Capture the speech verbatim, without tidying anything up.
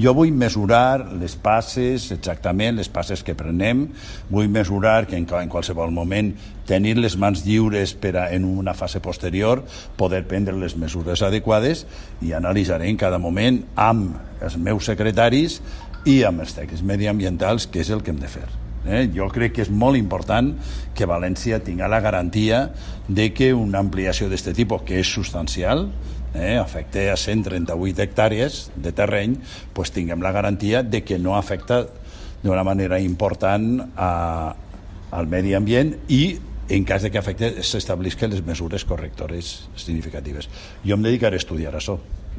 Jo vull mesurar les passes, exactament les passes que prenem, vull mesurar que en qualsevol moment tenir les mans lliures per a, en una fase posterior, poder prendre les mesures adequades i analitzaré en cada moment amb els meus secretaris i amb els tècnics mediambientals què és el que hem de fer. Eh? Jo crec que és molt important que València tingui la garantia de que una ampliació d'aquest tipus, que és substancial, eh, afecta a cent trenta-vuit hectàrees de terreny, pues tinguem la garantia de que no afecta d'una manera important a, al medi ambient i en cas de que afecte s'establisquen les mesures correctores significatives. Jo em dedicaré a estudiar això.